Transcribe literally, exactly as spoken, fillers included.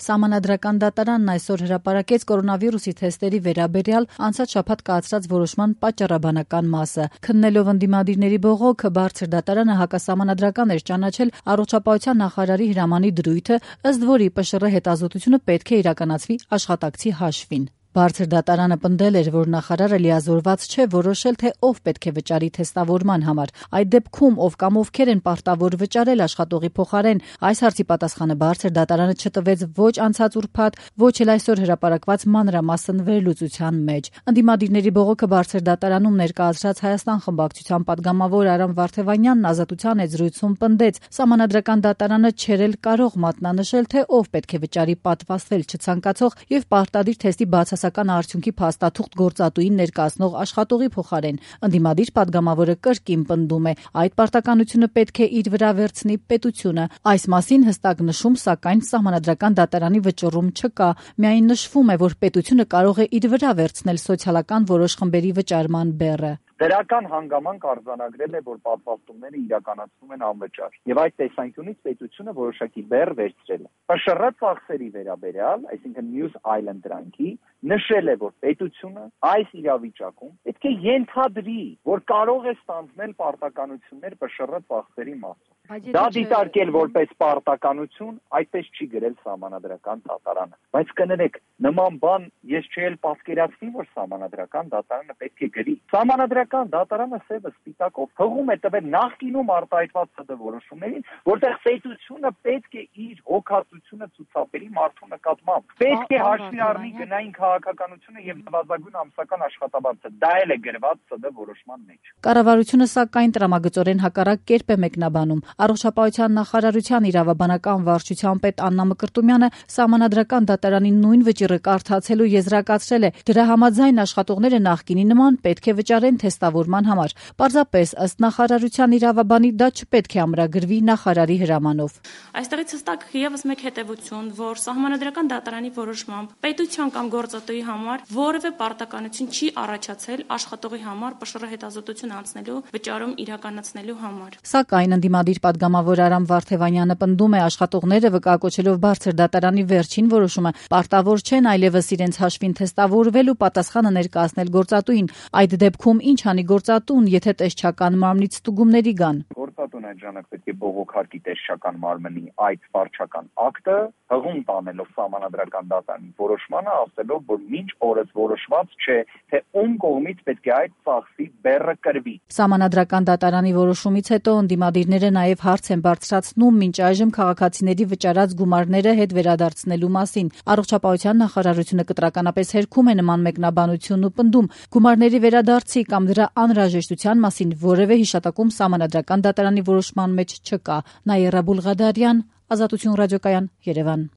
Սահմանադրական դատարանն այսօր հրապարակեց կորոնավիրուսի թեստերի վերաբերյալ անցած շաբաթ կայացրած որոշման պատճառաբանական մասը։ Քննելով ընդդիմադիրների բողոքը, բարձր դատարանը հակասահմանադրական էր ճանաչել առողջապահության նախարարի հրամանի դրույթը, ըստ որի ՊՇՌ հետազոտությունը պետք է իրականացվի աշխատակցի հաշվին։ Բարձր դատարանը պնդել էր, որ նախարարը լիազորված չէ որոշել, թե ով պետք է վճարի թեստավորման համար։ Այդ դեպքում ով կամ ովքեր են պարտավոր վճարել աշխատողի փոխարեն, այս հարցի պատասխանը բարձր դատարանը չտվեց ոչ անցած ուրբաթ, ոչ էլ այսօր հրապարակված մանրամասն վերլուծության մեջ։ Ընդդիմադիրների բողոքը բարձր դատարանում ներկայացրած Հայաստան խմբակցության պատգամավոր Արամ Վարդևանյանն Ազատության հետ զրույցում պնդեց, Սահմանադրական դատարանը չէր էլ կարող մատնանշել, թե ով պետք է վճարի պատվաստվել չցանկացող եւ պարտադիր թեստի բացասական արդյունքի փաստաթուղթ գործատուին ներկայացնող աշխատողի փոխարեն։ Ընդդիմադիր պատգամավորը կրկին պնդում է, այդ պարտականությունը պետք է իր վրա վերցնի պետությունը։ Այս մասին հստակ նշում, սակայն Սահմանադրական դատարանի վճռում չկա։ Միայն նշվում է, որ պետությունը կարող է իր վրա վերցնել սոցիալական որոշ խմբերի վճարման բեռը։ Դրական հանգամանք արձանագրել է, որ պատվաստումները իրականացվում են անվճար, եւ այդ տեսանկյունից պետությունը որոշակի բեռ վերցրել է։ ՊՇՌ ծախսերի վերաբերյալ, այսինքն մյուս այլ ընտրանքի, նշել է, որ պետությունը այս իրավիճակում պետք է ենթադրի, որ կարող է ստանձնել պարտականություններ ՊՇՌ ծախսերի մասով։ Դա դիտարկել որպես պարտականություն, այդպես չի գրել Սահմանադրական դատարանը։ Բայց կներեք, նման բան ես չէի պատկերացնի, որ Սահմանադրական դատարանը պետք է գրի։ Սահմանադրական դատարանը սևը սպիտակով հղում է տվել նախկինում արտահայտված ՍԴ որոշումներին, որտեղ պետությունը պետք է իր հոգացությունը ցուցաբերի մարդու նկատմամբ։ Պետք է հաշվի առնի գնային քաղաքականությունը եւ նվազագույն ամսական աշխատավարձը։ Դա էլ է գրված ՍԴ որոշման մեջ։ Կառավարությունը սակայն տրամագծորեն հակառակ կերպ է մեկնաբանում։ Առողջապահության նախարարության իրավաբանական վարչության պետ Աննա Մկրտումյանը Սահմանադրական դատարանի նույն վճիռը կարդացելու եզրակացրել է, դրա համաձայն աշխատողները նախկինի նման պետք է վճարեն թեստավորման համար։ Պարզապես ըստ նախարարության իրավաբանի դա չպետք է ամրագրվի նախարարի հրամանով։ Այստեղից հստակ եւս մեկ հետեւություն, որ Սահմանադրական դատարանի որոշմամբ պետության կամ գործատուի համար որևէ պարտականություն չի առաջացել աշխատողի համար ՊՇՌ հետազոտություն անցնելու վճարում իրականացնելու համար։ Սակայն ընդդիմադիր պատգամավոր Արամ Վարդևանյանը պնդում է, աշխատողները վկայակոչելով բարձր դատարանի վերջին որոշումը պարտավոր չեն այլևս իրենց հաշվին թեստավորվել ու պատասխանը ներկայացնել գործատուին։ Այդ դեպքում ինչ անի գործատուն, եթե տեսչական մարմնից ստուգումների գան։ Գործատուն այդ ժամանակ պետք է բողոքարկի տեսչական մարմնի այդ վարչական ակտը, հղում տանելով Սահմանադրական դատարանի որոշմանը, ասելով, որ մինչ օրս որոշված չէ, թե ում կողմից պետք է այդ ծախսի բեռը կրվի։ Սահմանադրական դատարանի որոշումից հետո ընդդիմադիրները նաև հարց են բարձրացնում մինչ այժմ քաղաքացիների վճարած գումարները հետ վերադարձնելու մասին։ Առողջապահության նախարարությունը կտրականապես հերքում է նման մեկնաբանությունն ու պնդում, գումարների վերադարձի կամ դրա անհրաժեշտության մասին որևէ հիշատակում Սահմանադրական դատարանի որոշման մեջ չկա։ Նաիրա Բուլղադարյան, Ազատություն ռադիոկայան, Երևան։